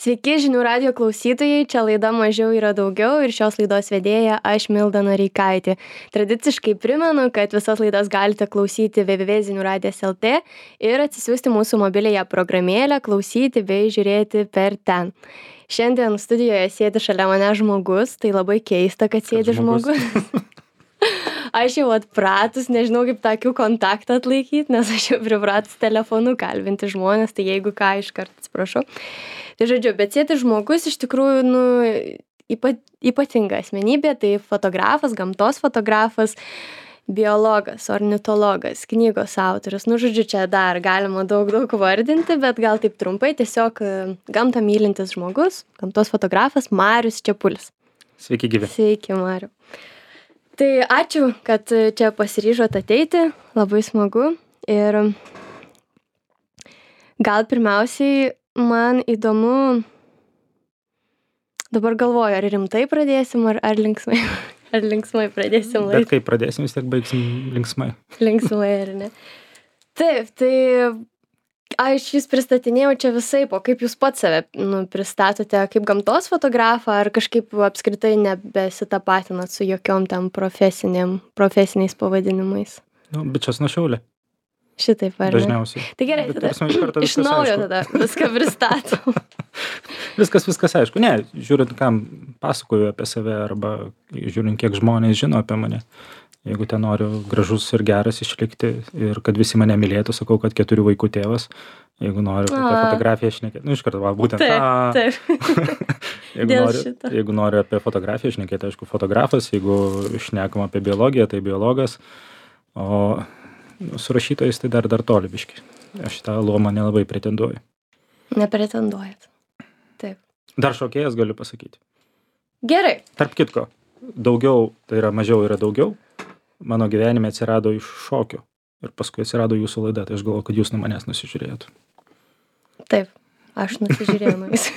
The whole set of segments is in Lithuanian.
Sveiki žinių radijo klausytojai, čia laida Mažiau yra daugiau ir šios laidos vedėja aš Milda Noreikaitė. Tradiciškai primenu, kad visas laidas galite klausyti www.ziniuradijas.lt ir atsisiųsti mūsų mobiliąją programėlę, klausyti bei žiūrėti per ten. Šiandien studijoje sėdi šalia mane žmogus, tai labai keista, kad sėdi žmogus. Aš jau atpratus, nežinau kaip tą akių kontaktą atlaikyti, nes aš jau pripratus telefonu kalbinti žmonės, tai jeigu ką iškart atsiprašau. Tai žodžiu, bet sėdi žmogus iš tikrųjų ypatinga asmenybė, tai fotografas, gamtos fotografas, biologas, ornitologas, knygos autorius. Žodžiu, čia dar galima daug vardinti, bet gal taip trumpai, tiesiog gamtą mylintis žmogus, gamtos fotografas Marius Čepulis. Sveiki gyvi. Sveiki, Mariu. Tai ačiū, kad čia pasiryžot ateiti, labai smagu. Ir gal pirmiausiai man įdomu, dabar galvoju, ar rimtai pradėsim, ar linksmai, ar linksmai pradėsim laidą. Bet kai pradėsim, vis tiek baigsim linksmai. Linksmai, ar ne? Taip, tai aš jūs pristatinėjau čia visaip, o kaip jūs pats save pristatote, kaip gamtos fotografą, ar kažkaip apskritai nebesitapatinat su jokiom tam profesiniais pavadinimais? Bičias nuo Šiaulė. Šitaip, ar ne? Dažniausiai. Tai gerai, tada iš naujo tada viską pristatom. Viskas aišku. Ne, žiūrint, kam pasakoju apie save, arba žiūrint, kiek žmonės žino apie mane. Jeigu ten noriu gražus ir geras išlikti ir kad visi mane mylėtų, sakau, kad 4 vaikų tėvas. Jeigu noriu apie fotografiją šnekėti, iš karto, būtent Taip. Jeigu noriu apie fotografiją šnekėti, aišku, fotografas. Jeigu šnekam apie biologiją, tai biologas. O su rašytojais tai dar toli biški. Aš tą luomą nelabai pretenduoju. Nepretenduojat. Taip. Dar šokėjas galiu pasakyti. Gerai. Tarp kitko, daugiau, tai yra mažiau yra daugiau. Mano gyvenime atsirado iš šokio ir paskui atsirado jūsų laida, tai aš galvoju, kad jūs nuo manęs nusižiūrėjot. Taip, aš nusižiūrėjau nuo jūsų.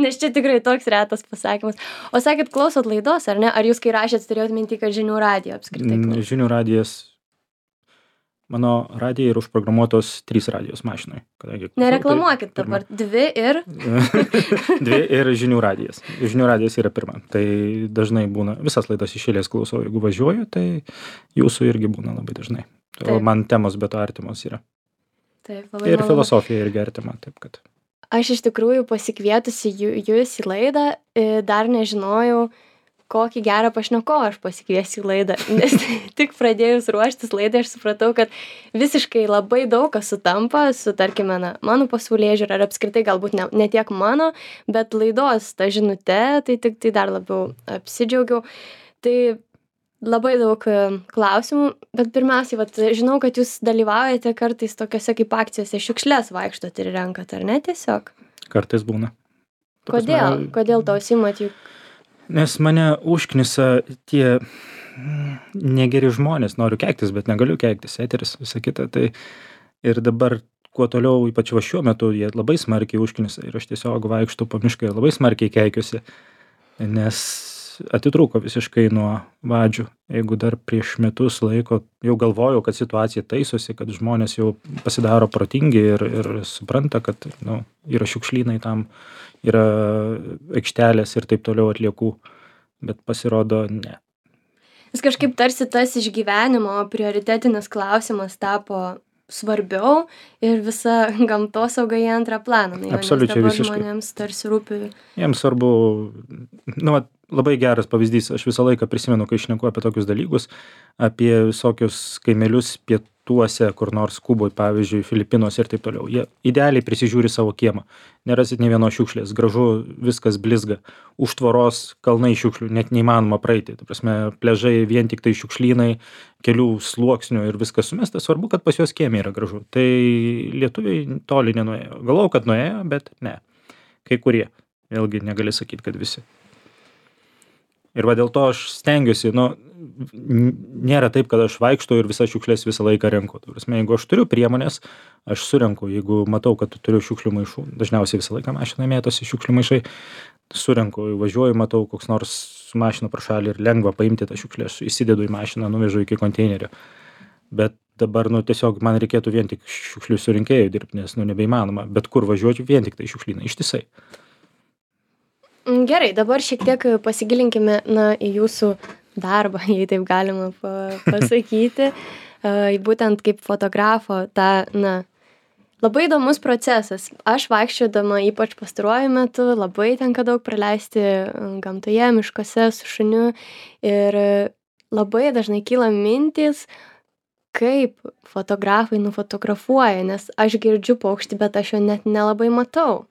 Nes čia tikrai toks retas pasakymas. O sakėt, klausot laidos, ar ne? Ar jūs kai rašėt, turėjot mintį, kad žinių radijo apskritai klausot? Žinių radijas, mano radijai yra užprogramuotos 3 radijos mašinai. Nereklamuokit dabar, 2 ir... 2 ir žinių radijas. Žinių radijas yra pirma. Tai dažnai būna, visas laidas iš eilės klausau, jeigu važiuoju, tai jūsų irgi būna labai dažnai. O man temos be to artimos yra. Taip, labai ir filosofija irgi artima, taip kad. Aš iš tikrųjų pasikvietusi jūs į laidą, dar nežinojau, kokį gerą pašnekovą aš pasikviesiu į laidą, nes tik pradėjus ruoštis laidai aš supratau, kad visiškai labai daug kas sutampa su, tarkime, mano pasaulėžiūra, ar apskritai galbūt ne tiek mano, bet laidos ta žinute, tai dar labiau apsidžiaugiau. Tai labai daug klausimų, bet pirmiausiai, žinau, kad jūs dalyvaujate kartais tokiose kaip akcijose, šiukšles vaikštot ir renkat, ar ne tiesiog? Kartais būna. Kodėl to užsiimat juk? Nes mane užknisa tie negeri žmonės, noriu keiktis, bet negaliu keiktis, eteris, visa kita. Tai ir dabar, kuo toliau, ypač šiuo metu, jie labai smarkiai užknisa ir aš tiesiog vaikštau po mišką ir labai smarkiai keikiuosi, nes atitrūko visiškai nuo vadžių. Jeigu dar prieš metus laiko jau galvojau, kad situacija taisosi, kad žmonės jau pasidaro protingi ir supranta, kad yra šiukšlynai tam, yra aikštelės ir taip toliau atliekų, bet pasirodo ne. Vis kažkaip tarsi tas išgyvenimo prioritetinis klausimas tapo svarbiau ir visa gamtosauga į antrą planą. Absoliučiai visiškai. Žmonėms tarsi rūpi. Jiems svarbu, labai geras pavyzdys, aš visą laiką prisimenu, kai šneku apie tokius dalykus, apie visokius kaimelius pietuose, kur nors Kuboj, pavyzdžiui, Filipinuose ir taip toliau. Jie idealiai prisižiūri savo kiemą. Nerasit nė vienos šiukšlės, gražu, viskas blizga. Už tvoros kalnai šiukšlių, net neįmanoma praeiti. Ta prasme, pliažai vien tik tai šiukšlynai, kelių sluoksnių ir viskas sumesta. Svarbu, kad pas juos kieme yra gražu. Tai lietuviai toli nenuėjo. Galvojau, kad nuėjo, bet ne. Kai kurie. Vėlgi negali sakyti, kad visi. Ir dėl to aš stengiuosi, nėra taip, kad aš vaikštau ir visas šiukšlės visą laiką renku. Jeigu aš turiu priemonės, aš surenku. Jeigu matau, kad turiu šiukšlių maišų, dažniausiai visą laiką mašinai mėtosi šiukšlių maišai, surenku, važiuoju, matau koks nors mašina pro šalį ir lengva paimti tą šiukšlę, įsidedu į mašiną, nuvežu iki konteinerio. Bet dabar, tiesiog man reikėtų vien tik šiukšlių surinkėjų dirbti, nes, nebeįmanoma. Bet kur važiuočiau, vien tik tai šiukšlynai, ištisai. Gerai, dabar šiek tiek pasigilinkime, į jūsų darbą, jei taip galima pasakyti. Būtent kaip fotografo labai įdomus procesas. Aš vaikščiodama, ypač pastaruoju metu, labai tenka daug praleisti gamtoje, miškuose su šuniu ir labai dažnai kyla mintys, kaip fotografai nufotografuoja, nes aš girdžiu paukštį, bet aš jo net nelabai matau.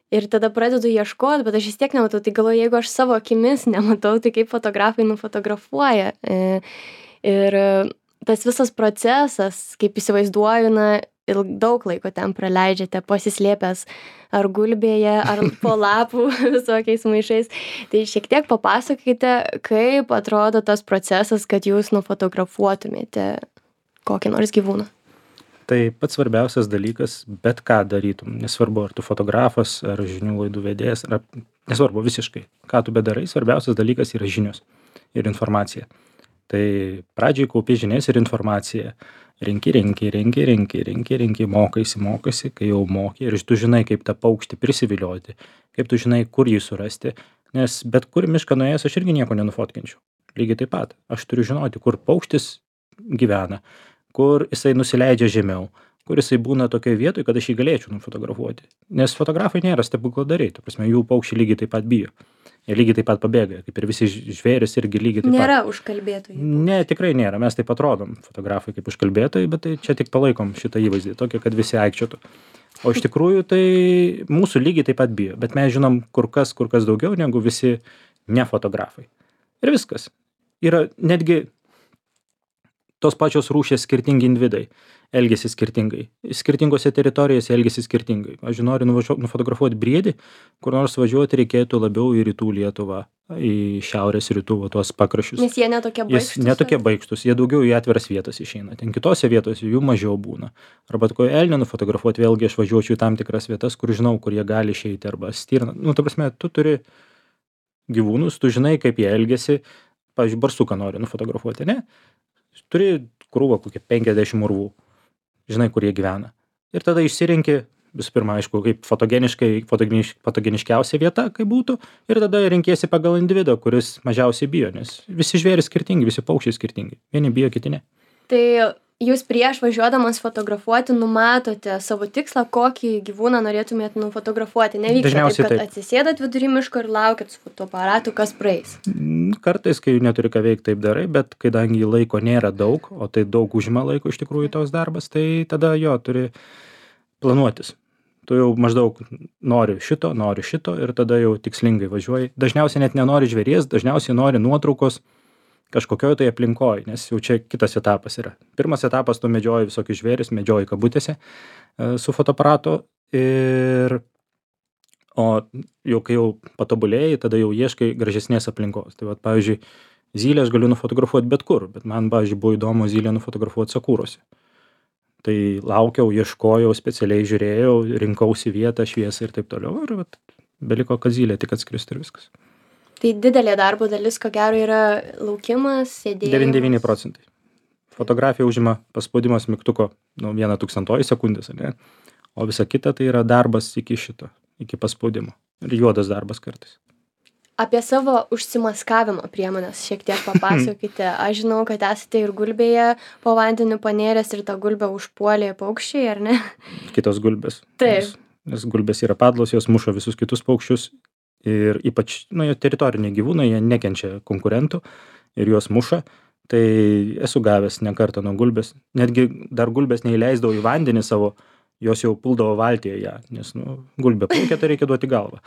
Ir tada pradedu ieškoti, bet aš vis tiek nematau. Tai galvoju, jeigu aš savo akimis nematau, tai kaip fotografai nufotografuoja. Ir tas visas procesas, kaip įsivaizduoju, daug laiko ten praleidžiate pasislėpęs ar gulbėje, ar po lapų visokiais maišais. Tai šiek tiek papasakokite, kaip atrodo tas procesas, kad jūs nufotografuotumėte kokį nors gyvūną. Tai pats svarbiausias dalykas, bet ką darytum, nesvarbu, ar tu fotografas, ar žinių laidų vedėjas, ar nesvarbu visiškai, ką tu bedarai, svarbiausias dalykas yra žinios ir informacija. Tai pradžiai kaupi žinias ir informaciją. Renki, mokaisi, kai jau moki ir tu žinai, kaip tą paukštį prisivilioti, kaip tu žinai, kur jį surasti, nes bet kur mišką nuėjęs aš irgi nieko nenufotkinčiau. Lygiai taip pat, aš turiu žinoti, kur paukštis gyvena, kur jisai nusileidžia žemiau, kur jisai būna tokioje vietoje, kad aš jį galėčiau nufotografuoti. Nes fotografai nėra stebukladariai, ta prasme, jų paukščiai lygiai taip pat bijo. Jie lygiai taip pat pabėga, kaip ir visi žvėrys irgi lygiai taip pat. Nėra užkalbėtojų. Ne, tikrai nėra, mes taip atrodom, fotografai kaip užkalbėtojai, bet tai čia tik palaikom šitą įvaizdį, tokį, kad visi aikčiotų. O iš tikrųjų tai mūsų lygiai taip pat bijo, bet mes žinom kur kas daugiau negu visi nefotografai. Ir viskas. Yra netgi tos pačios rūšies skirtingi individai elgiasi skirtingai. Skirtingose teritorijose elgiasi skirtingai. Aš noriu nufotografuoti briedį, kur nors važiuoti reikėtų labiau į rytų Lietuvą, į šiaurės rytų, tuos pakraščius. Nes jie netokie baikštus. Netokie baikštus, jie daugiau į atviras vietas išeina. Ten kitose vietose jų mažiau būna. Arba ko elnią nufotografuoti, vėlgi aš važiuočiau į tam tikras vietas, kur žinau, kur jie gali išeiti, arba stirną. Ta prasme, tu turi gyvūnus, tu žinai, kaip jie elgiasi. Pavyzdžiui, barsuką nori nufotografuoti, ne? Turi krūvą kokią 50 urvų, žinai, kur jie gyvena. Ir tada išsirenki, visų pirma, aišku, kaip fotogeniškiausia vieta, kaip būtų, ir tada renkiesi pagal individą, kuris mažiausiai bijo, nes visi žvėrys skirtingi, visi paukščiai skirtingi. Vieni bijo, kiti ne. Tai jūs prieš važiuodamas fotografuoti numatote savo tikslą, kokį gyvūną norėtumėt nufotografuoti. Nevyksta taip, kad atsisėdat vidury miško ir laukiat su fotoaparatu, kas praeis. Kartais, kai neturi ką veikti, taip darai, bet kadangi laiko nėra daug, o tai daug užima laiko iš tikrųjų toks darbas, tai tada turi planuotis. Tu jau maždaug nori šito ir tada jau tikslingai važiuoji. Dažniausiai net nenori žvėries, dažniausiai nori nuotraukos kažkokioj tai aplinkoj, nes jau čia kitas etapas yra. Pirmas etapas tu medžioji visokius žvėris, medžioji kabutėse su fotoaparatu o jau kai jau patobulėjai, tada jau ieškai gražesnės aplinkos. Tai vat, pavyzdžiui, zylę aš galiu nufotografuoti bet kur, bet man, pavyzdžiui, buvo įdomu zylę nufotografuoti sakūrose. Tai laukiau, ieškojau, specialiai žiūrėjau, rinkausi vietą, šviesą ir taip toliau. Ir vat, beliko, kad zylė tik atskristų ir viskas. Tai didelė darbo dalis, ko gero, yra laukimas, sėdėjimas. 99%. Fotografija užima paspaudimas mygtuko 1/1000 sekundės, ne? O visa kita tai yra darbas iki paspaudimo. Ir juodas darbas kartais. Apie savo užsimaskavimo priemonės šiek tiek papasakokite. Aš žinau, kad esate ir gulbėje po vandeniu panėręs ir tą gulbę užpuolė paukščiai, ar ne? Kitos gulbės. Taip. Nes gulbės yra padlos, jos muša visus kitus paukščius. Ir ypač, teritoriniai gyvūnai, jie nekenčia konkurentų ir juos muša. Tai esu gavęs ne kartą nuo gulbės. Netgi dar gulbės neįleisdavo į vandenį savo, jos jau puldavo valtyje ją, nes gulbė plaukia, tai reikia duoti galvą.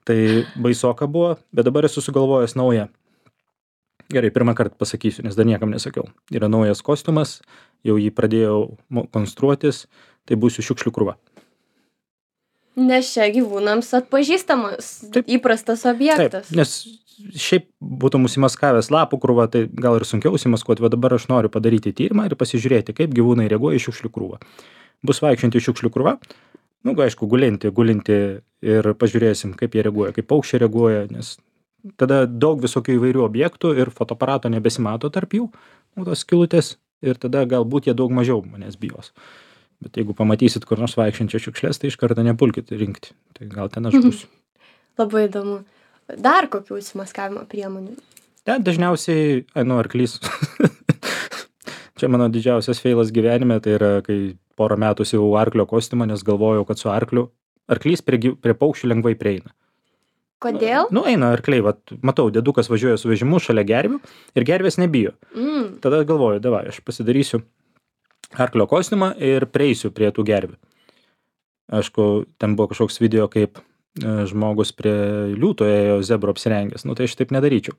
Tai baisoka buvo, bet dabar esu sugalvojęs naują. Gerai, pirmą kartą pasakysiu, nes dar niekam nesakiau. Yra naujas kostiumas, jau jį pradėjau konstruotis, tai būsiu šiukšlių krūva. Nes čia gyvūnams atpažįstamas įprastas objektas. Taip, nes šiaip būtų užsimaskavęs lapų krūvą, tai gal ir sunkiau užsimaskuoti, bet dabar aš noriu padaryti tyrimą ir pasižiūrėti, kaip gyvūnai reaguoja į šiukšlių krūvą. Bus vaikščianti šiukšlių krūva, aišku, gulinti ir pažiūrėsim, kaip jie reaguoja, kaip paukščiai reaguoja, nes tada daug visokių įvairių objektų ir fotoaparato nebesimato tarp jų, tos skylutės, ir tada galbūt jie daug mažiau manęs bijos. Bet jeigu pamatysit kur nors vaikščiančią šiukšlės, tai iš karto nepulkit rinkti. Tai gal ten aš būsiu. Labai įdomu. dar kokių užsimaskavimo priemonių? Ten dažniausiai, arklys. Čia mano didžiausias feilas gyvenime, tai yra, kai porą metų siuvau arklio kostiumą, nes galvojau, kad su arklys prie paukščių lengvai prieina. Kodėl? Eina arkliai, matau, dėdukas važiuoja su vežimu šalia gervių ir gervės nebijo. Tada galvoju, davai, aš pasidarysiu arklio kostiumą ir prieisiu prie tų gervių. Aišku, ten buvo kažkoks video, kaip žmogus prie liūto ėjo zebro apsirengęs, tai aš taip nedaryčiau.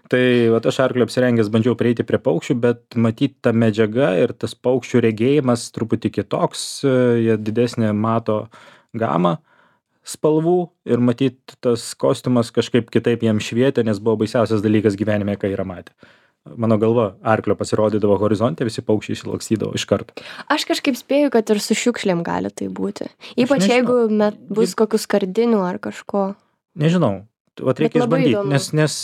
Tai aš arklio apsirengęs bandžiau prieiti prie paukščių, bet matyt ta medžiaga ir tas paukščių regėjimas truputį kitoks, jie didesnė mato gamą spalvų ir matyt tas kostiumas kažkaip kitaip jam švietė, nes buvo baisiausias dalykas gyvenime, ką yra matę. Mano galva, arklio pasirodydavo horizonte, visi paukščiai išsilakstydavo iš karto. Aš kažkaip spėju, kad ir su šiukšlėm gali tai būti. Ypač jeigu bus kokių skardinių ar kažko. Nežinau. Reikia išbandyti, nes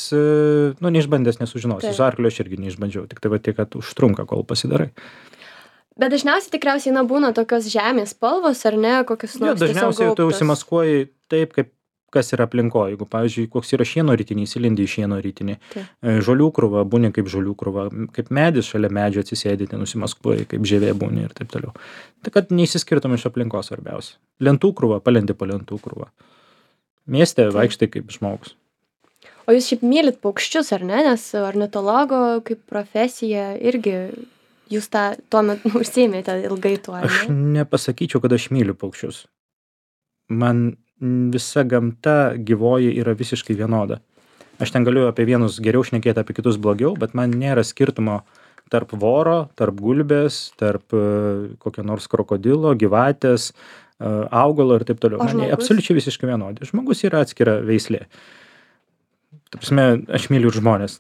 neišbandęs nesužinosi. Su arklio aš irgi neišbandžiau, tik tai tiek, kad užtrunka, kol pasidarai. Bet dažniausiai tikriausiai būna tokios žemės spalvos, ar ne, kokios nors tiesiog dažniausiai tu užsimaskuoji taip, kaip kas yra aplinkoje. Jeigu, pavyzdžiui, koks yra šieno ritinys, įlindi į šieno ritinį, žolių krūva, būni kaip žolių krūva, kaip medis šalia medžio atsisėdyti, nusimaskuoji, kaip žievė būni ir taip toliau. Tai kad neįsiskirtum iš aplinkos svarbiausia. Lentų krūva, palendi po lentų krūva. Mieste vaikštai kaip žmogus. O jūs šiaip mylit paukščius, ar ne? Nes ornitologo kaip profesija irgi jūs tuo metu užsiėmėte ilgai tuo, ar ne? Aš nepasakyčiau, kad aš myliu paukščius. Man visa gamta gyvoji yra visiškai vienoda. Aš ten galiu apie vienus geriau šnekėti, apie kitus blogiau, bet man nėra skirtumo tarp voro, tarp gulbės, tarp kokio nors krokodilo, gyvatės, augalo ir taip toliau. Man absoliučiai visiškai vienodi. Žmogus yra atskira veislė. Ta prasme, aš myliu ir žmonės.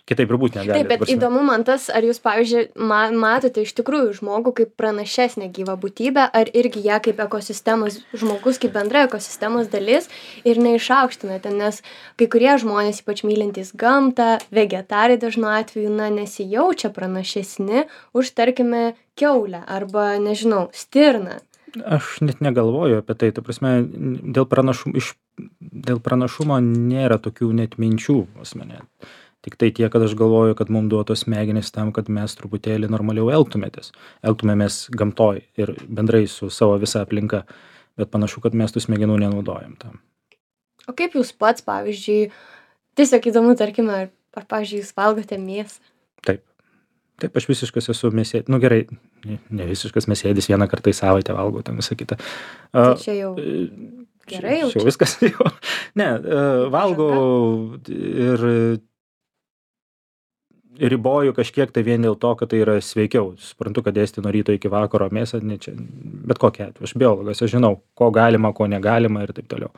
Kitaip ir būti negali. Taip, bet įdomu man tas, ar jūs, pavyzdžiui, matote iš tikrųjų žmogų kaip pranašesnę gyvą būtybę, ar irgi ją kaip ekosistemos žmogus, kaip bendra ekosistemos dalis ir neišaukštinate, nes kai kurie žmonės, ypač mylintys gamtą, vegetarai dažnu atveju, nesijaučia pranašesni už, tarkime, kiaulę arba, nežinau, stirną. Aš net negalvoju apie tai, ta prasme, dėl pranašumo nėra tokių net minčių pas mane. Tik tai tiek, kad aš galvoju, kad mums duotos smegenys tam, kad mes truputėlį normaliau elgtumėmės gamtoj ir bendrai su savo visa aplinka, bet panašu, kad mes tų smegenų nenaudojam tam. O kaip jūs pats, pavyzdžiui, tiesiog įdomu, tarkime, ar pavyzdžiui, jūs valgote mėsą? Taip, aš visiškas esu mėsėdis. Gerai, ne visiškas mėsėdis, vieną kartą į savaitę valgau ten visą kitą. Tai čia jau gerai jau. Čia viskas jau. Ne, valgau ir riboju kažkiek tai vien dėl to, kad tai yra sveikiau. Suprantu, kad ėsti nuo ryto iki vakaro mėsą, bet kokia atveju. Aš biologas, aš žinau, ko galima, ko negalima ir taip toliau.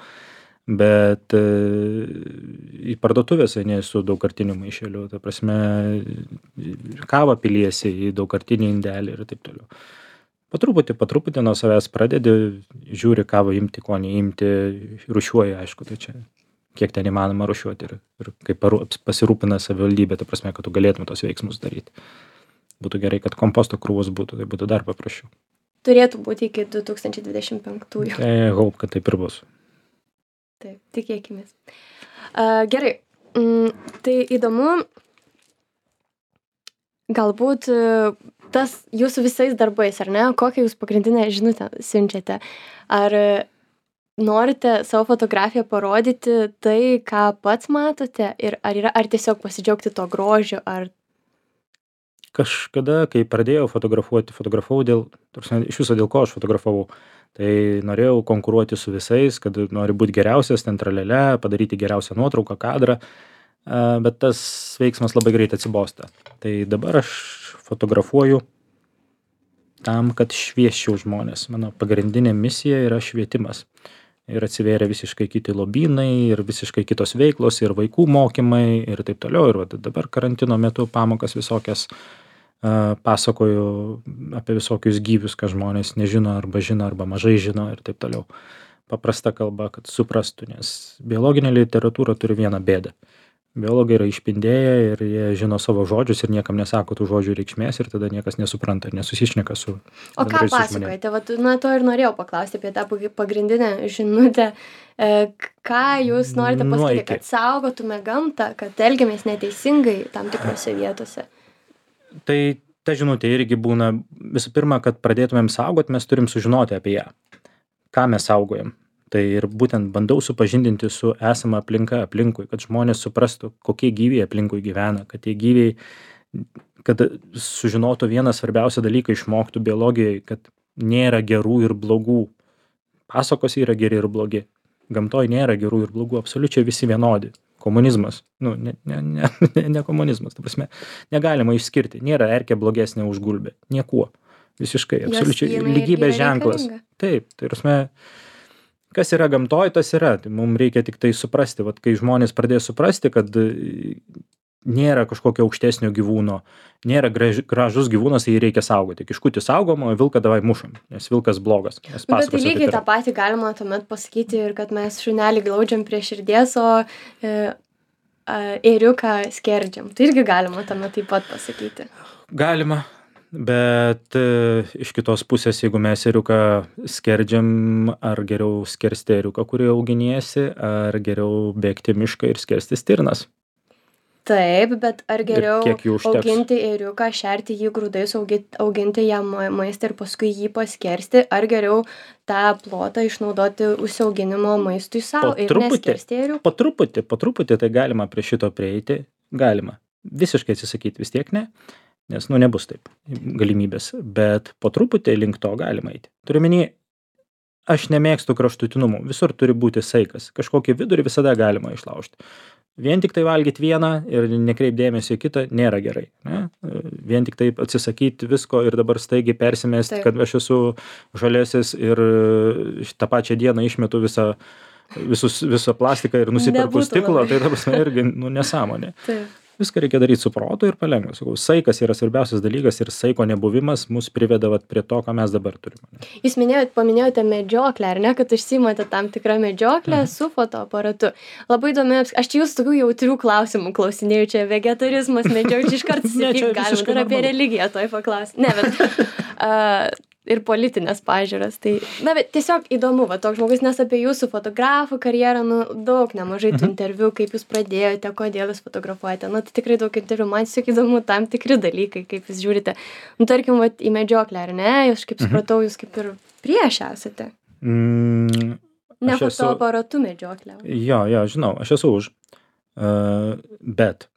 Bet į parduotuvės eini su daugkartiniu maišeliu, ta prasme, kavą piliesi į daugkartinį indelį ir taip toliau. Po truputį nuo savęs pradedi, žiūri, kavą imti, ko neimti, rūšiuoji, aišku, tai čia kiek ten įmanoma rūšiuoti ir kaip pasirūpina savivaldybė, ta prasme, kad tu galėtum tos veiksmus daryti. Būtų gerai, kad komposto krūvos būtų, tai būtų dar paprasčiau. Turėtų būti iki 2025. Tai hope, kad taip ir bus. Taip, tikėkimės. Gerai, tai įdomu, galbūt tas jūsų visais darbais, ar ne, kokią jūs pagrindinę žinutę siunčiate? Ar norite savo fotografiją parodyti tai, ką pats matote, ir ar tiesiog pasidžiaugti to grožio, ar... Kažkada, kai pradėjau fotografavau iš viso dėl ko aš fotografavau. Tai norėjau konkuruoti su visais, kad nori būti geriausias, ten tralele, padaryti geriausią nuotrauką, kadrą, bet tas veiksmas labai greit atsibosta. Tai dabar aš fotografuoju tam, kad šviesčiau žmonės. Mano pagrindinė misija yra švietimas. Ir atsivėrė visiškai kiti lobynai, ir visiškai kitos veiklos, ir vaikų mokymai, ir taip toliau. Ir dabar karantino metu pamokas visokias pasakoju apie visokius gyvius, ką žmonės nežino arba mažai žino ir taip toliau. Paprasta kalba, kad suprastų, nes biologinė literatūra turi vieną bėdą. Biologai yra išpindėję ir jie žino savo žodžius ir niekam nesako tų žodžių reikšmės ir tada niekas nesupranta ir nesusišneka su O ką bendrai su žmonėm. pasakojate? Vat, na, to ir norėjau paklausti apie tą pagrindinę žinutę. Ką jūs norite Nuo pasakyti, iki. kad saugotume gamtą, kad elgiamės neteisingai tam tikrose vietose? Tai ta žinutė irgi būna, visų pirma, kad pradėtumėm saugot, mes turim sužinoti apie ją. Ką mes saugojam. Tai ir būtent bandau supažindinti su esama aplinka aplinkui, kad žmonės suprastų, kokie gyviai aplinkui gyvena, kad tie gyviai, kad sužinotų vieną svarbiausią dalyką, išmoktų biologijai, kad nėra gerų ir blogų. Pasakos yra geri ir blogi. Gamtoj nėra gerų ir blogų, absoliučiai visi vienodi. Komunizmas, ne komunizmas, ta prasme, negalima išskirti, nėra erkė blogesnė už gulbę, niekuo, visiškai, absoliučiai, lygybės ženklas. Taip, tai prasme, kas yra gamtoj, tas yra, tai mums reikia tik tai suprasti, vat kai žmonės pradės suprasti, kad nėra kažkokio aukštesnio gyvūno, nėra gražus gyvūnas, tai jį reikia saugoti. Kiškutį saugom, o vilką davai mušam, nes vilkas blogas. Bet tai lygiai tą patį galima tuomet pasakyti ir kad mes šunelį glaudžiam prie širdies, o ėriuką skerdžiam. Tai irgi galima tuomet taip pat pasakyti. Galima, bet iš kitos pusės, jeigu mes ėriuką skerdžiam, ar geriau skersti ėriuką, kurį auginiesi, ar geriau bėgti mišką ir skersti stirnas. Taip, bet ar geriau auginti ėriuką, šerti jį grūdais, auginti jam maistą ir paskui jį paskersti, ar geriau tą plotą išnaudoti užsiauginimo maistui savo ir neskersti ėriukų? Po truputį tai galima prie šito prieiti, galima. Visiškai atsisakyti vis tiek ne, nes nebus taip galimybės, bet po truputį link to galima eiti. Turiu omeny, aš nemėgstu kraštutinumų, visur turi būti saikas, kažkokį vidurį visada galima išlaužti. Vien tik tai valgyti vieną ir nekreip dėmesio į kitą nėra gerai. Ne? Vien tik taip atsisakyti visko ir dabar staigiai persimesti, kad aš esu žalėsis ir tą pačią dieną išmetu visą plastiką ir nusiperku stiklo, tai ta prasme irgi nesąmonė. Taip. Viską reikia daryti su protu ir palengva. Saikas yra svarbiausias dalykas ir saiko nebuvimas mus priveda prie to, ką mes dabar turime. Jūs paminėjote medžioklę, ar ne, kad užsiimate tam tikrą medžioklę su fotoaparatu. Labai įdomi, aš čia jūs tokių jautrių klausimų klausinėjau, čia vegetarizmas, medžioklė, iš karto sakyti galima, dar apie religiją toj paklausti. Ne, bet ir politinės pažiūras. Tai, na, bet tiesiog įdomu, toks žmogus, nes apie jūsų fotografų karjerą, daug, nemažai tų interviu, kaip jūs pradėjote, kodėl jūs fotografuojate. Tai tikrai daug interviu, man tiesiog įdomu tam tikri dalykai, kaip jūs žiūrite. Tarkim, į medžioklę, ar ne? Aš kaip supratau, jūs kaip ir prieš esate. Ne fotoaparatu medžioklę. Jo, žinau, aš esu už. Bet,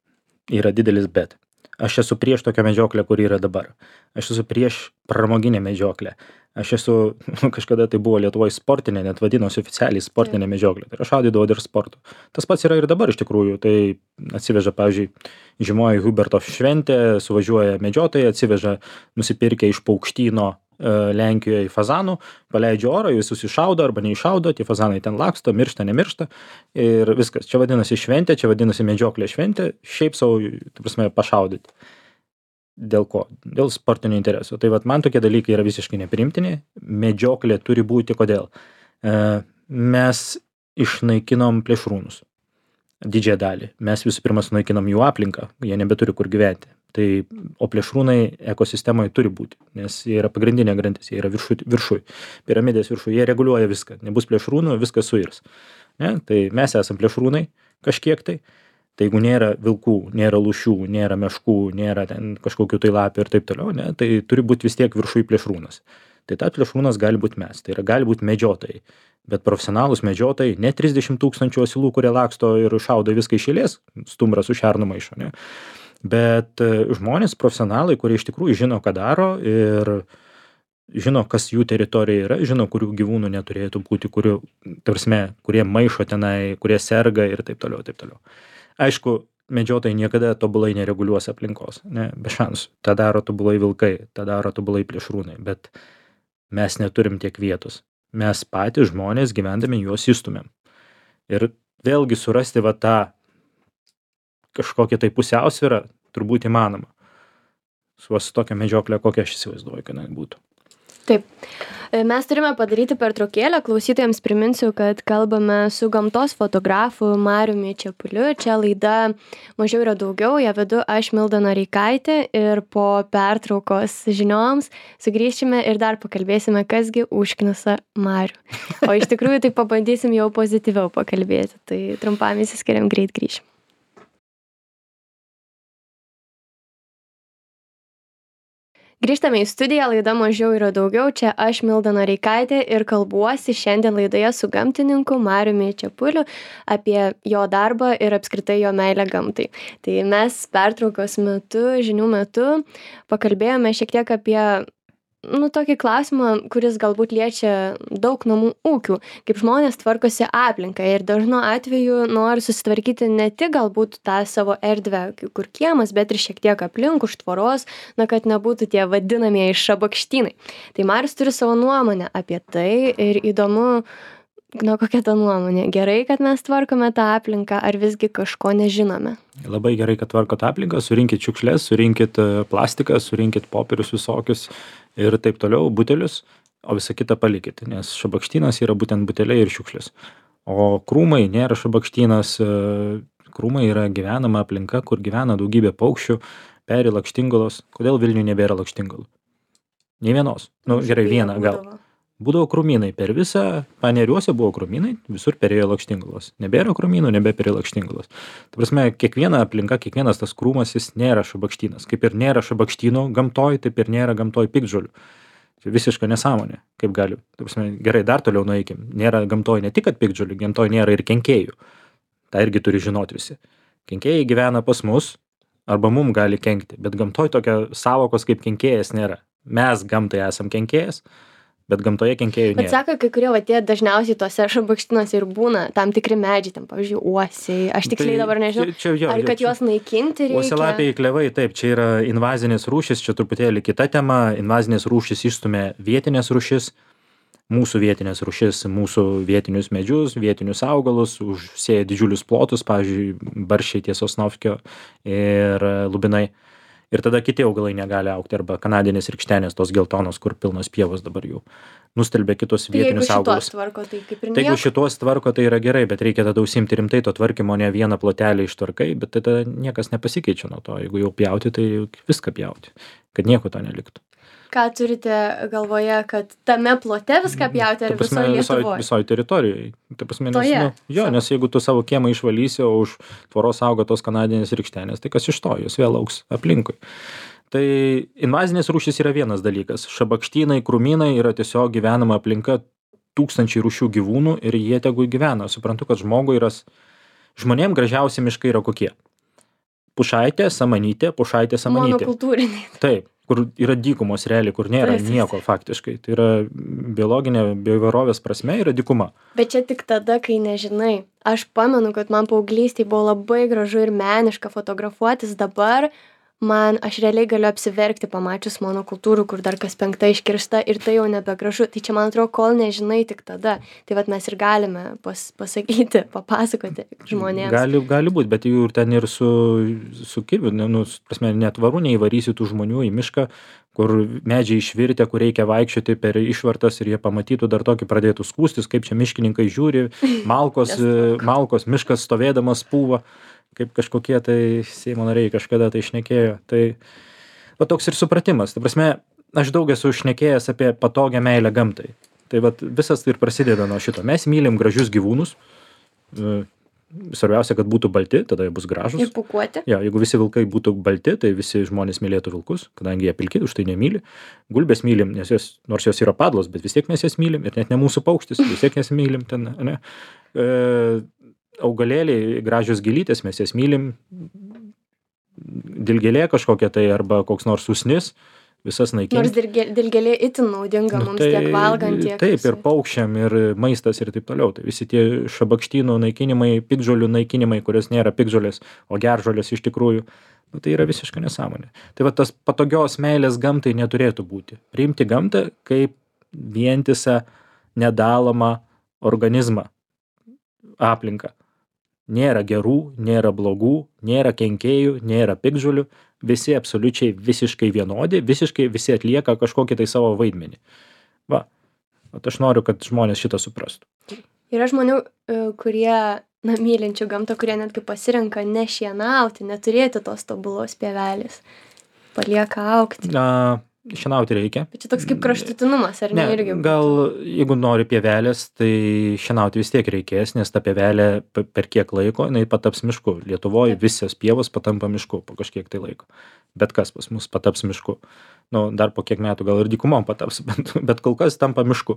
yra didelis bet. Aš esu prieš tokią medžioklę, kuri yra dabar. Aš esu prieš pramoginę medžioklę. Aš esu, kažkada tai buvo Lietuvoje sportinė, net vadinosi oficialiai sportinė medžioklė. Tai aš šaudydavau ir sportu. Tas pats yra ir dabar iš tikrųjų. Tai atsiveža, pavyzdžiui, žymoji Huberto šventė, suvažiuoja medžiotojai, atsiveža nusipirkę iš Paukštyno Lenkijoje fazanų, paleidžia orą, visus iššaudo arba neiššaudo, tie fazanai ten laksto, miršta, nemiršta ir viskas. Čia vadinasi šventė, čia vadinasi medžioklė šventė, šiaip savo, ta prasme, pašaudyti. Dėl ko? Dėl sportinio intereso. Tai man tokie dalykai yra visiškai nepriimtini. Medžioklė turi būti kodėl? Mes išnaikinom plėšrūnus. Didžiąją dalį. Mes visų pirma sunaikinom jų aplinką, jie nebeturi kur gyventi. O plėšrūnai ekosistemoje turi būti, nes jie yra pagrindinė grandis, jie yra viršuj, piramidės viršuj, jie reguliuoja viską. Nebus plėšrūnų, viskas suirs. Ne? Tai mes esam plėšrūnai kažkiek tai. Tai jeigu nėra vilkų, nėra lūšių, nėra meškų, nėra ten kažkokių tai lapių ir taip toliau, ne? Tai turi būti vis tiek viršuj plėšrūnas. Tai tas plėšrūnas gali būti mes, tai yra gali būti medžiotojai. Bet profesionalūs medžiotojai, ne 30 000 asilų, kurie laksto ir šaudo viską iš eilės, stumbras su šernu maišo, ne? Bet žmonės, profesionalai, kurie iš tikrųjų žino, ką daro ir žino, kas jų teritorija yra, žino, kurių gyvūnų neturėtų būti, kurie maišo tenai, kurie serga ir taip toliau, taip toliau. Aišku, medžiotojai niekada tobulai nereguliuos aplinkos, ne, be šansų. Ta daro tobulai vilkai, ta daro tobulai plėšrūnai, bet mes neturim tiek vietos. Mes patys žmonės gyvendami juos įstumėm. Ir vėlgi surasti tą kažkokią tai pusiausvyrą turbūt įmanoma. Su tokia medžioklė, kokia aš įsivaizduoju, kad būtų. Taip. Mes turime padaryti pertraukėlę. Klausytojams priminsiu, kad kalbame su gamtos fotografu Mariumi Čepuliu. Čia laida Mažiau yra daugiau. Ją vedu aš, Milda Noreikaitė. Ir po pertraukos žinioms sugrįšime ir dar pakalbėsime, kasgi užknisa Marių. O iš tikrųjų tai pabandysim jau pozityviau pakalbėti. Tai trumpam įsiskiriam, greit grįšim. Grįžtame į studiją, laida Mažiau yra daugiau. Čia aš, Milda Noreikaitė, ir kalbuosi šiandien laidoje su gamtininku Mariumi Čepuliu apie jo darbą ir apskritai jo meilę gamtai. Tai mes pertraukos metu, žinių metu, pakalbėjome šiek tiek apie tokį klausimą, kuris galbūt liečia daug namų ūkių, kaip žmonės tvarkosi aplinką ir dažnu atveju nori susitvarkyti ne tik galbūt tą savo erdvę, kur kiemas, bet ir šiek tiek aplink už tvoros, kad nebūtų tie vadinamieji šabakštynai. Tai Marius turi savo nuomonę apie tai ir įdomu, kokia ta nuomonė. Gerai, kad mes tvarkome tą aplinką, ar visgi kažko nežinome? Labai gerai, kad tvarkot aplinką, surinkit šiukšles, surinkit plastiką, surinkit popierius visokius ir taip toliau, butelius, o visą kitą palikit, nes šabakštynas yra būtent buteliai ir šiukšlės. O krūmai nėra šabakštynas, krūmai yra gyvenama aplinka, kur gyvena daugybė paukščių, peri lakštingalos. Kodėl Vilniuje nebėra lakštingalų? Nei vienos. Gerai, vieną gal. Būdavo krūmynai. Per visą Paneriuose buvo krūmynai, visur perėjo lakštingalos. Nebėra krūmynų, nebeperėjo lakštingalos. Ta prasme, kiekviena aplinka, kiekvienas tas krūmas, jis nėra šabakštynas. Kaip ir nėra šabakštynų gamtoj, taip ir nėra gamtoj piktžolių. Tai visiška nesąmonė. Kaip gali. Ta prasme, gerai, dar toliau nueikim. Nėra gamtoj ne tik kad piktžolių, gamtoj nėra ir kenkėjų. Ta irgi turi žinoti visi. Kenkėjai gyvena pas mus, arba mum gali kenkti, bet gamtoj tokia savokos kaip kenkėjas nėra. Mes gamtai esam kenkėjas, bet gamtoje kenkėjų nėra. Bet sako, kai kurie tie dažniausiai tose šabakštynuose ir būna tam tikri medžiai, tam, pavyzdžiui, uosiai. Aš tiksliai dabar nežinau, ar kad juos naikinti reikia. Uosialapiai klevai, taip, čia yra invazinės rūšys, čia truputėlį kita tema. Invazinės rūšys išstumia vietinės rūšis, mūsų vietinės rūšis, mūsų vietinius medžius, vietinius augalus, užsėja didžiulius plotus, pavyzdžiui, barščiai ties Sosnovskio ir lubinai. Ir tada kiti augalai negali augti, arba kanadinės rykštenės, tos geltonos, kur pilnos pievos dabar jau nustelbia kitus vietinius augalus. Tai jeigu šitos tvarko, tai yra gerai, bet reikia tada užsiimti rimtai to tvarkymo, ne vieną plotelį ištvarkai, bet tada niekas nepasikeičia nuo to. Jeigu jau pjauti, tai viską pjauti, kad nieko to neliktų. Ką turite galvoje, kad tame plote viską pjauti, ar visoje Lietuvoje? Visoje teritorijoje. Nes jeigu tu savo kiemą išvalysi, o už tvoros auga tos kanadinės rykštenės, tai kas iš to, jos vėl augs aplinkui. Tai invazinės rūšys yra vienas dalykas. Šabakštynai, krūmynai yra tiesiog gyvenama aplinka, tūkstančiai rūšių gyvūnų ir jie tegu gyvena. Suprantu, kad žmonėm gražiausi miškai yra kokie? Pušaitė, samanytė, Monokultūriniai. Taip, kur yra dykumos realiai, kur nėra nieko faktiškai. Tai yra biologinė bioįvairovės prasme yra dykuma. Bet čia tik tada, kai nežinai. Aš pamenu, kad man paauglystėje buvo labai gražu ir meniška fotografuotis. Dabar aš realiai galiu apsiverkti pamačius monokultūrų, kur dar kas penkta iškirsta ir tai jau nebegražu. Tai čia, man atrodo, kol nežinai, tik tada. Tai vat mes ir galime pasakyti, papasakoti žmonėms. Gali būti, bet jų ir ten ir su kirviu, netvaru neįvarysi tų žmonių į mišką, kur medžiai išvirtę, kur reikia vaikščioti per išvartas ir jie pamatytų dar tokį pradėtų skūstis, kaip čia miškininkai žiūri, malkos miškas stovėdamas pūva. Kaip kažkokie tai Seimo nariai kažkada tai šnekėjo. Tai toks ir supratimas. Ta prasme, aš daug esu šnekėjęs apie patogią meilę gamtai. Tai visas tai ir prasideda nuo šito. Mes mylim gražius gyvūnus. Svarbiausia, kad būtų balti, tada jie bus gražus. Ir pūkuoti. Jo, jeigu visi vilkai būtų balti, tai visi žmonės mylėtų vilkus, kadangi jie pilki, už tai nemyli. Gulbės mylim, nes nors jos yra padlos, bet vis tiek mes jas mylim. Ir net ne mūsų paukštis, vis tiek jas mylim. Augalėliai, gražios gėlytės, mes jas mylim, dilgėlė kažkokia tai arba koks nors usnis, visas naikinti. Nors dilgėlė itin naudinga mums tiek valgant, tiek... Taip, ir paukščiam, ir maistas, ir taip toliau. Tai visi tie šabakštynų naikinimai, piktžolių naikinimai, kurios nėra piktžolės, o geržolės iš tikrųjų, tai yra visiška nesąmonė. Tai tas patogios meilės gamtai neturėtų būti. Priimti gamtą kaip vientisą, nedalomą organizmą, aplinką. Nėra gerų, nėra blogų, nėra kenkėjų, nėra piktžolių, visi absoliučiai visiškai vienodi, visiškai visi atlieka kažkokį tai savo vaidmenį. Va. Vat aš noriu, kad žmonės šitą suprastų. Yra žmonių, kurie, mylinčių gamtą, kurie netgi pasirenka nešienauti, neturėti tos tobulos pievelės. Palieka augti. Šienauti reikia. Bet čia toks kaip kraštutinumas, ar ne irgi? Gal jeigu nori pievelės, tai šienauti vis tiek reikės, nes ta pievelė per kiek laiko, jinai pataps mišku. Lietuvoje visos pievos patampa mišku po kažkiek tai laiko. Bet kas pas mus pataps mišku. Dar po kiek metų gal ir dykumom pataps, bet kol kas tampa mišku.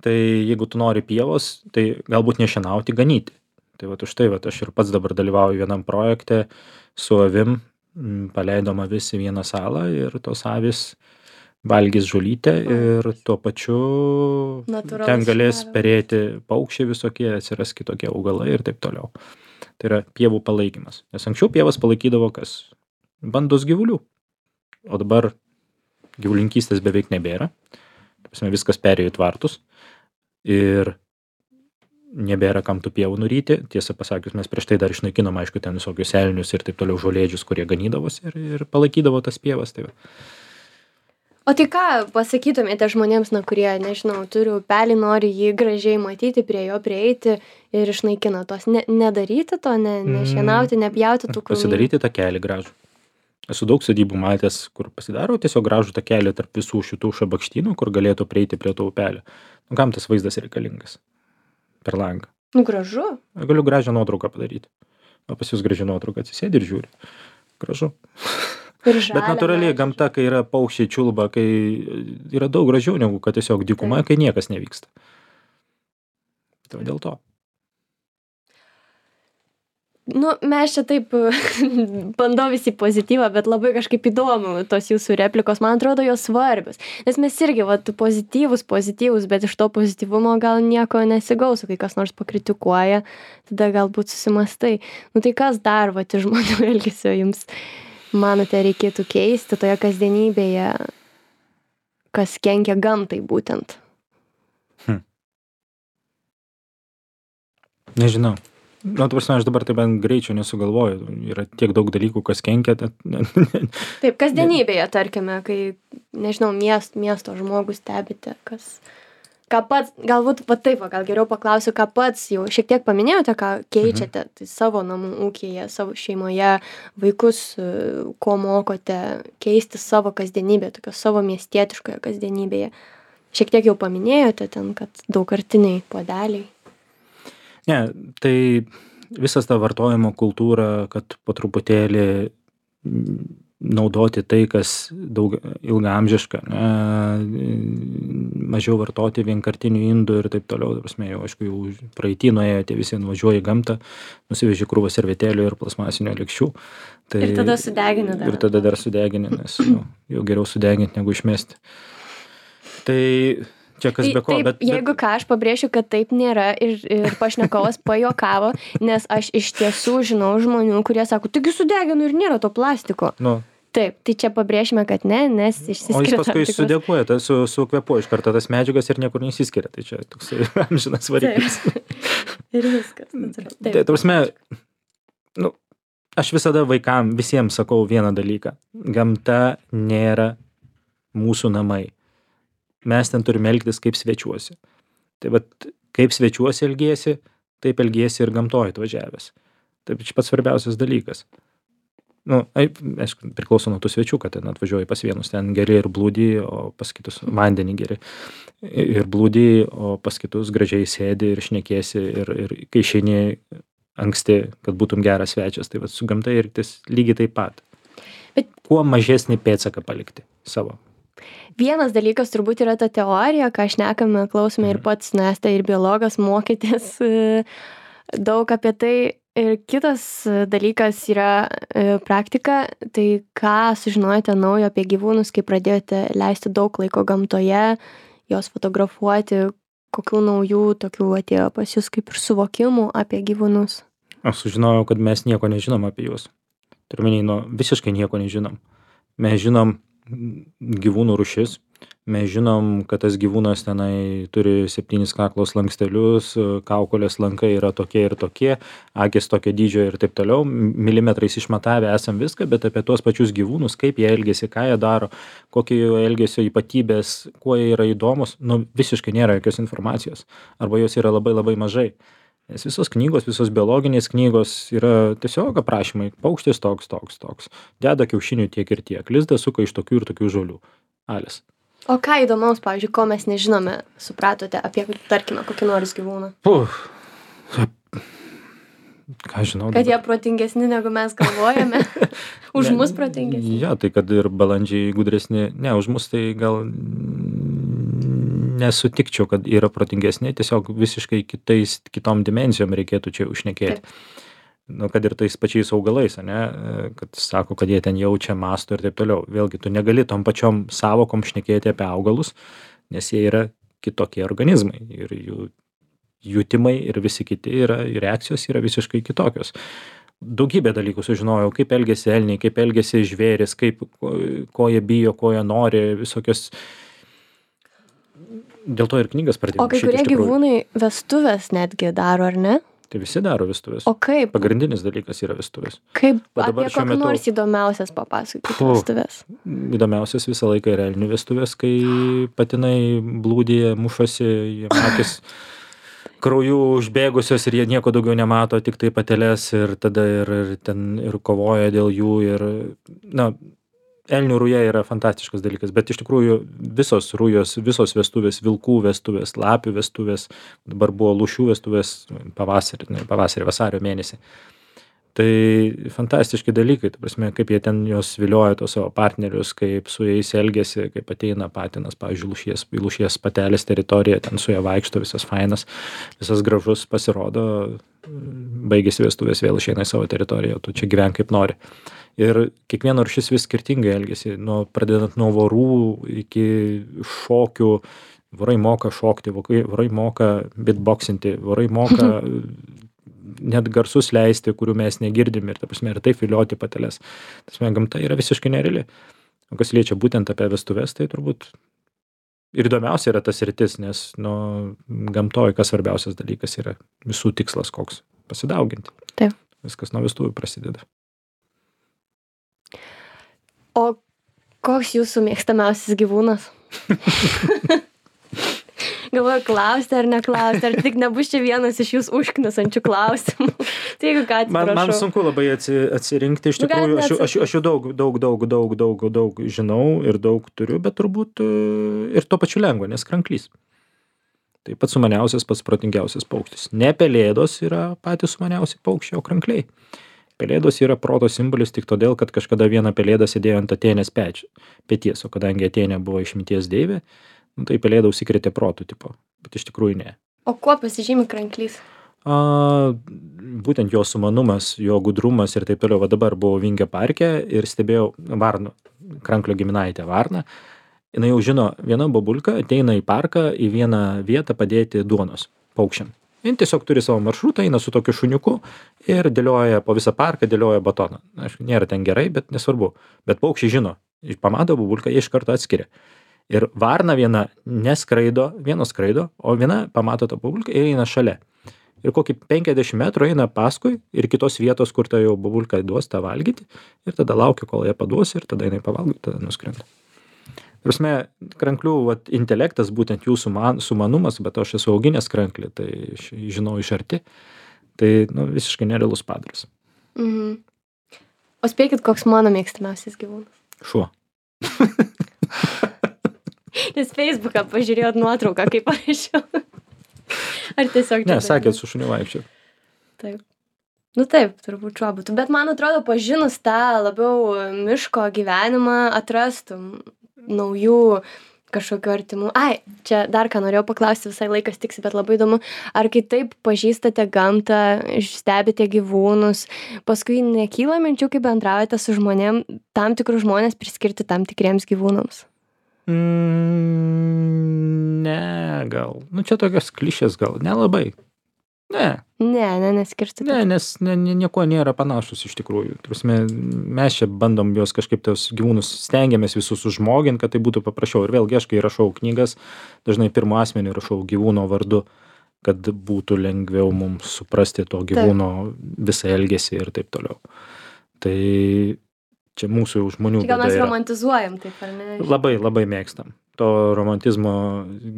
Tai jeigu tu nori pievos, tai galbūt nešienauti, ganyti. Tai vat už tai aš ir pats dabar dalyvauju vienam projekte su avim, paleidom avis į vieną salą ir tos avis valgys žolytę ir tuo pačiu ten galės perėti paukščiai visokie, atsiras kitokie augalai ir taip toliau. Tai yra pievų palaikymas. Nes anksčiau pievas palaikydavo kas? Bandos gyvulių. O dabar gyvulinkystės beveik nebėra. Viskas perėjo į tvartus ir nebėra kam tų pievų nuryti. Tiesą pasakius, mes prieš tai dar išnaikinom, aišku, ten visokius elnius ir taip toliau žolėdžius, kurie ganydavosi ir palaikydavo tas pievas. Tai O tai ką pasakytumėte žmonėms, kurie, nežinau, turi upelį, nori jį gražiai matyti, prie jo prieiti ir išnaikina tos? Nedaryti to, nešienauti, nepjauti tų krūmų? Pasidaryti takelį gražų. Esu daug sodybų matęs, kur pasidaro tiesiog gražų takelį tarp visų šitų šabakštynų, kur galėtų prieiti prie to upelio. Kam tas vaizdas reikalingas? Per langą. Gražu. Galiu gražią nuotrauką padaryti. O pas jūs gražią nuotrauką atsisėdi ir žiūri. Gražu. Bet natūraliai gamta, kai yra paukščiai čiulba, kai yra daug gražiau negu kad tiesiog dykuma, kai niekas nevyksta. Tai dėl to. Mes čia taip bandau visi pozityvą, bet labai kažkaip įdomu tos jūsų replikos, man atrodo, jos svarbios. Nes mes irgi, pozityvus, bet iš to pozityvumo gal nieko nesigaus, kai kas nors pakritikuoja, tada galbūt susimastai. Tai kas dar, iš žmonių elgesio jums, manote, reikėtų keisti toje kasdienybėje, kas kenkia gamtai būtent? Nežinau. Aš dabar taip greičiau nesugalvoju. Yra tiek daug dalykų, kas kenkia. Taip, kasdienybėje, tarkime, kai, nežinau, miesto žmogus stebite, ką pats, galbūt gal geriau paklausiu, ką pats jau šiek tiek paminėjote, ką keičiate savo namų ūkyje, savo šeimoje, vaikus, ko mokote keisti savo kasdienybėje, tokio savo miestietiškoje kasdienybėje. Šiek tiek jau paminėjote ten, kad daugkartiniai puodeliai. Ne, tai visas ta vartojimo kultūra, kad po truputėlį naudoti tai, kas ilgaamžiška, mažiau vartoti vienkartinių indų ir taip toliau. Jau, aišku, jau praeitį nuėjo, tie visi nuvažiuoja į gamtą, nusiveži krūvą servetėlių ir plasmasinių lėkščių. Ir tada sudegini dar. Ir tada dar sudegini, nes jau geriau sudeginti negu išmesti. Tai čia kas be ko, taip, jeigu ką, aš pabrėšiu, kad taip nėra ir pašnekovas pajuokavo, nes aš iš tiesų žinau žmonių, kurie sako, taigi sudeginu ir nėra to plastiko. Taip, tai čia pabrėšime, kad ne, nes išsiskiria. O jis paskui sudėkuoja, sukvepuoja iš karto tas medžiagas ir niekur neįsiskiria. Tai čia toks amžinas variklis. Ir viskas. Tai, prasme, aš visada vaikam, visiems sakau vieną dalyką. Gamta nėra mūsų namai. Mes ten turime elgtis kaip svečiuosi. Tai kaip svečiuosi elgiesi, taip elgiesi ir gamtoj atvažiavęs. Tai čia pats svarbiausias dalykas. Aišku, priklauso nuo tų svečių, kad ten atvažiuoji pas vienus, ten geri ir blūdį, o pas kitus vandenį geri ir blūdį, o pas kitus gražiai sėdi ir šnekėsi ir kai išeini anksti, kad būtum geras svečias, tai su gamta elgtis lygiai taip pat. Kuo mažesnį pėdsaką palikti savo. Vienas dalykas turbūt yra ta teorija, ką šnekame, klausome ir pats, esate ir biologas, mokytės daug apie tai. Ir kitas dalykas yra praktika, tai ką sužinojote naujo apie gyvūnus, kai pradėjote leisti daug laiko gamtoje, jos fotografuoti, kokių naujų tokių atėjo pas jūs kaip ir suvokimų apie gyvūnus? Aš sužinojau, kad mes nieko nežinom apie juos. Turiu omeny, visiškai nieko nežinom. Mes žinom gyvūnų rūšis, Mes žinom, kad tas gyvūnas tenai turi 7 kaklo slankstelius, kaukolės lankai yra tokie ir tokie, akys tokio dydžio ir taip toliau. Milimetrais išmatavę esam viską, bet apie tuos pačius gyvūnus, kaip jie elgiasi, ką jie daro, kokie jų elgesio ypatybės, kuo jie yra įdomus, nu visiškai nėra jokios informacijos. Arba jos yra labai labai mažai. Nes visos knygos, visos biologinės knygos yra tiesiog aprašymai. Paukštis toks, toks, toks. Deda kiaušinių tiek ir tiek. Lizdą suka iš tokių ir tokių žolių. Alis. O ką įdomaus, pavyzdžiui, ko mes nežinome, supratote apie, tarkime, kokį nors gyvūną? Ką žinau. Kad jie protingesni, negu mes galvojame. Už mus protingesni. Ja, tai kad ir balandžiai gudresni. Ne, už mus tai gal nesutikčiau, kad yra protingesni. Tiesiog visiškai kitom dimensijom reikėtų čia užšnekėti. Nu, kad ir tais pačiais augalais, ane, kad sako, kad jie ten jaučia, mąsto ir taip toliau. Vėlgi, tu negali tom pačiom savokom šnekėti apie augalus, nes jie yra kitokie organizmai ir jų jutimai ir visi kiti yra, reakcijos yra visiškai kitokios. Daugybę dalykų sužinojau, kaip elgiasi elniai, kaip elgiasi žvėris, ko jie bijo, ko jie nori, visokios. Dėl to ir knygas pradėjau. O kai kurie gyvūnai vestuvės netgi daro, ar ne? Tai visi daro vestuvės. O kaip? Pagrindinis dalykas yra vestuvės. Kaip apie kokį nors įdomiausias papasakoti vestuvės? Įdomiausias visą laiką yra elnių vestuvės, kai patinai blūdėje, mušosi, jie akis krauju užbėgusios ir jie nieko daugiau nemato, tik tai pateles ir tada ir kovoja dėl jų ir, na, elnių ruja yra fantastiškas dalykas, bet iš tikrųjų visos rujos, visos vestuvės, vilkų vestuvės, lapių vestuvės, dabar buvo lūšių vestuvės pavasarį, vasario mėnesį. Tai fantastiški dalykai, ta prasme, kaip jie ten jos vilioja tos savo partnerius, kaip su jais elgiasi, kaip ateina patinas, pavyzdžiui, lūšies patelės teritorija, ten su ja vaikšto, visas fainas, visas gražus pasirodo, baigėsi vestuvės, vėl išeina į savo teritoriją, tu čia gyvenk kaip nori. Ir kiekviena rūšis vis skirtingai elgiasi, pradedant nuo vorų iki šokių. Vorai moka šokti, vorai moka beatboxinti, vorai moka net garsus leisti, kurių mes negirdim ir, ta prasme, ir taip vilioti pateles. Ta prasme, gamta yra visiškai nereali. O kas liečia būtent apie vestuves, tai turbūt ir įdomiausia yra tas sritis, nes gamtoj kas svarbiausias dalykas yra visų tikslas koks - pasidauginti. Taip. Viskas nuo vestuvių prasideda. O koks jūsų mėgstamiausias gyvūnas? Galvoju, klausti ar neklausti, ar tik nebus čia vienas iš jūs užknisančių klausimų. Tai jeigu ką, atsiprašau. Man sunku labai atsirinkti, iš tikrųjų, aš jau daug žinau ir daug turiu, bet turbūt ir tuo pačiu lengva, nes kranklys. Tai pats sumaniausias, pats protingiausias paukštis. Ne pelėdos yra patys sumaniausi paukščiai, o krankliai. Pelėdos yra proto simbolis tik todėl, kad kažkada viena pelėda sėdėjo ant Atėnės peties, o kadangi Atėnė buvo išminties deivė, tai pelėda užsikrėtė protų tipo, bet iš tikrųjų ne. O kuo pasižymi kranklys? Būtent jo sumanumas, jo gudrumas ir taip toliau. Va dabar buvau Vingio parke ir stebėjau varną, kranklio giminaitę varną. Jis jau žino, viena bobulka ateina į parką į vieną vietą padėti duonos paukščiam. Jis tiesiog turi savo maršrutą, eina su tokiu šuniuku ir dėlioja po visą parką, dėlioja batoną. Aišku, nėra ten gerai, bet nesvarbu. Bet paukščiai žino, pamato bobulką, jie iš karto atskiria. Ir varna viena neskraido, vienos skraido, o viena pamato tą bobulką ir eina šalia. Ir kokį 50 metrų eina paskui ir kitos vietos, kur ta jau bobulka duos tą valgyti. Ir tada laukia, kol jie paduos ir tada jinai pavalgo, tada nuskrenda. Prasme, kranklių intelektas, būtent jų sumanumas, bet aš esu auginęs kranklį, tai žinau iš arti. Tai visiškai nerealus padaras. Mhm. O spėkit, koks mano mėgstamiausias gyvūnas? Šuo. Nes Facebooką pažiūrėjot nuotrauką, kaip parašiau. Ar tiesiog... Ne, sakėt, su šuniu vaikščiau. Taip. Taip, turbūt šuo būtų. Bet man atrodo, pažinus tą labiau miško gyvenimą, atrastum naujų kažkokių artimų. Čia dar ką norėjau paklausti, visai laikas tiksi, bet labai įdomu. Ar kai taip pažįstate gamtą, stebite gyvūnus, paskui nekyla minčių, kai bendraujate su žmonėm, tam tikrus žmonės priskirti tam tikriems gyvūnams? Ne, gal. Čia tokios klišės gal. Nelabai. Ne. Neskirstyti. Ne, nes nieko nėra panašus iš tikrųjų. Prasme, mes čia bandom juos kažkaip tos gyvūnus stengiamės visus užžmogint, kad tai būtų paprasčiau. Ir vėlgi aš, kai rašau knygas, dažnai pirmu asmeniu rašau gyvūno vardu, kad būtų lengviau mums suprasti to gyvūno visą elgesį ir taip toliau. Tai čia mūsų žmonių Gal mes bėda yra. romantizuojam taip, ar ne? Labai, labai mėgstam. To romantizmo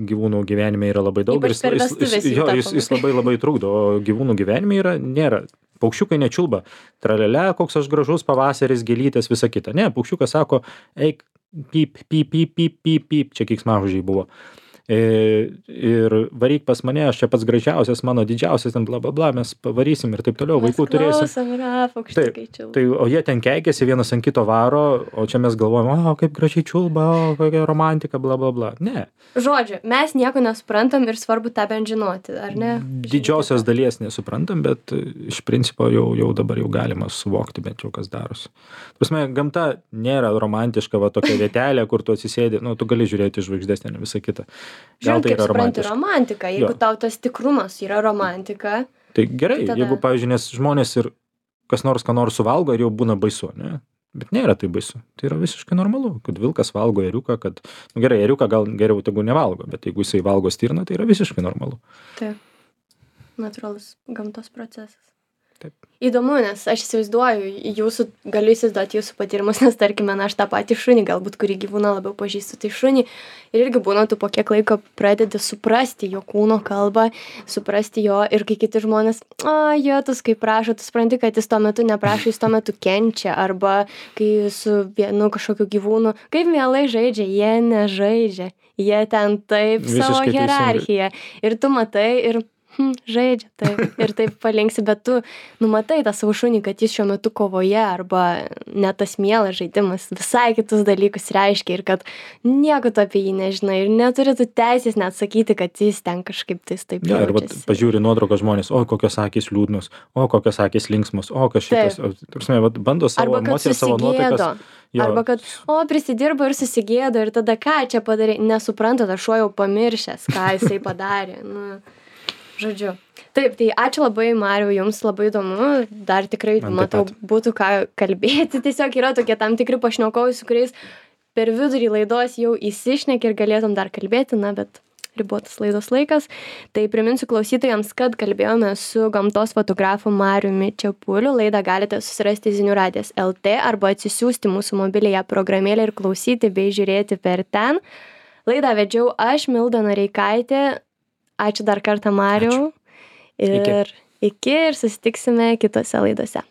gyvūnų gyvenime yra labai daug. Ypač per vestuves jį tapom. Jis labai labai trukdo, o gyvūnų gyvenime nėra. Paukščiukai nečiulba. Tralele, koks aš gražus pavasaris, gėlytės, visa kita. Ne, paukščiukas sako, eik, pyp, pyp, pyp, pyp, pyp, pyp, čia keiksmažodžiai buvo. Ir varyk pas mane, aš čia pats gražiausias, mano didžiausias, ten bla bla bla, mes pavarysim ir taip toliau, vaikų turėsim. Mes klausom, yra paukščiukai čiulba. Tai, o jie ten keikiasi, vienas ant kito varo, o čia mes galvojam, o kaip gražiai čiulba, o kokia romantika, bla bla bla. Ne. Žodžiu, mes nieko nesuprantam ir svarbu tą bent žinoti, ar ne? Didžiosios dalies nesuprantam, bet iš principo jau dabar jau galima suvokti bent jau kas darosi. Prasme, gamta nėra romantiška, va tokia vietelė, kur tu atsisėdi, nu, tu gali žiūrėti žvaigždės, ne visą kitą. Žiūrėk, kaip supranti romantika, jeigu tau tas tikrumas yra romantika. Tai gerai, tada... jeigu, pavyzdžiui, nes žmonės ir kas nors ką nors suvalgo ir jau būna baisu, ne? Bet nėra tai baisu. Tai yra visiškai normalu, kad vilkas valgo ėriuką, kad, nu gerai, ėriuką gal geriau tegu nevalgo, bet jeigu jisai valgo stirną, tai yra visiškai normalu. Taip, natūralus gamtos procesas. Taip. Įdomu, nes aš įsivaizduoju, galiu įsivaizduoti jūsų patyrimus, nes tarkime, aš tą patį šunį, galbūt kurį gyvūną labiau pažįstu, tai šunį. Ir irgi būna, tu po kiek laiko pradedi suprasti jo kūno kalbą, suprasti jo ir kai kiti žmonės, jotus, kaip prašo, tu supranti, kad jis tuo metu neprašo, jis tuo metu kenčia, arba kai su vienu kažkokiu gyvūnu, kaip mielai žaidžia, jie nežaidžia, jie ten taip savo hierarchiją. Ir tu matai ir žaidžia, taip, ir taip palinksi, bet tu numatai tą savo šunį, kad jis šiuo metu kovoje arba net tas mielas žaidimas visai kitus dalykus reiškia ir kad nieko tu apie jį nežinai ir neturi tu teisės net sakyti, kad jis ten kažkaip tais taip jaučiasi. Ir vat, pažiūri nuotrauką žmonės, o kokios akys liūdnos, o kokios akys linksmos, o kas šitas, bando savo emocijas, savo nuotaikas. Arba kad, prisidirbo ir susigėdo ir tada ką čia padarė, nesupranta, tas šuo jau pamiršęs, ką jisai padarė. Žodžiu. Taip, tai ačiū labai, Mariau, jums labai įdomu, dar tikrai, matau, būtų ką kalbėti, tiesiog yra tokie tam tikri pašnekovai, su kuriais per vidurį laidos jau įsišneki ir galėtum dar kalbėti, bet ribotas laidos laikas. Tai priminsiu klausytojams, kad kalbėjome su gamtos fotografu Mariumi Čepuliu, laidą galite susirasti Zinių radijas LT arba atsisiųsti mūsų mobiliąją programėlę ir klausyti bei žiūrėti per ten. Laidą vedžiau aš, Milda Noreikaitė. Ačiū dar kartą, Mariau. Ir iki ir susitiksime kitose laidose.